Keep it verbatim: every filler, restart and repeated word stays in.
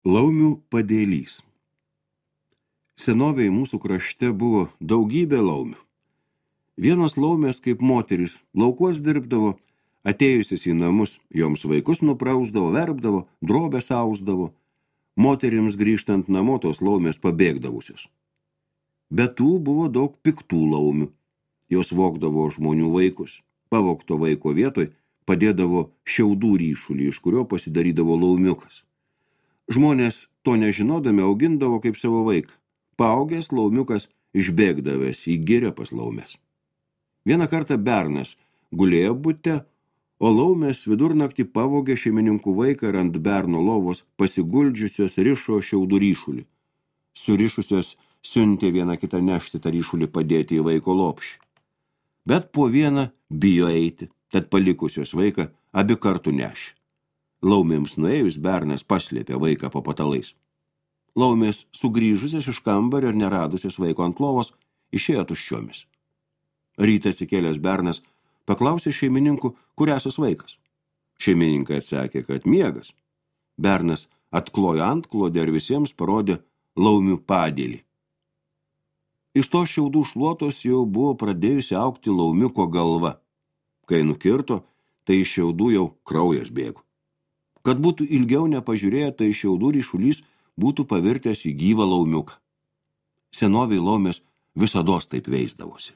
Laumių padėlys. Senovėje mūsų krašte buvo daugybė laumių. Vienos laumės, kaip moteris, laukuos dirbdavo, atėjusias į namus, joms vaikus nuprausdavo, verpdavo, drobę sausdavo. Moterims grįžtant namo tos laumės pabėgdavusios. Bet tų buvo daug piktų laumių. Jos vogdavo žmonių vaikus. Pavogto vaiko vietoj padėdavo šiaudų ryšulį, iš kurio pasidarydavo laumiukas. Žmonės to nežinodami augindavo kaip savo vaiką. Paaugęs laumiukas išbėgdavęs į girią pas laumės. Vieną kartą bernas gulėjo bute, o laumės vidurnaktį pavogė šeimininkų vaiką ir ant berno lovos pasiguldžiusios rišo šiaudų ryšulį. Surišusios siuntė vieną kitą nešti tą ryšulį padėti į vaiko lopšį. Bet po vieną bijo eiti, tad palikusios vaiką abi kartu nešė. Laumėms nuėjus bernas paslėpė vaiką po patalais. Laumės sugrįžusios iš kambario ir neradusios vaiko ant lovos išėjo tuščiomis. Rytą atsikėlęs bernas paklausė šeimininkų, kur esas vaikas. Šeimininkai atsakė, kad miegas. Bernas atklojo antklodę ir visiems parodė laumių padėlį. Iš to šiaudų šluotos jau buvo pradėjusi augti laumiuko galva. Kai nukirto, tai iš šiaudų jau kraujas bėgo. Kad būtų ilgiau nepažiūrėję, tai šiaudų ryšulys būtų pavirtęs į gyvą laumiuką. Senovėj laumės visados taip veisdavosi.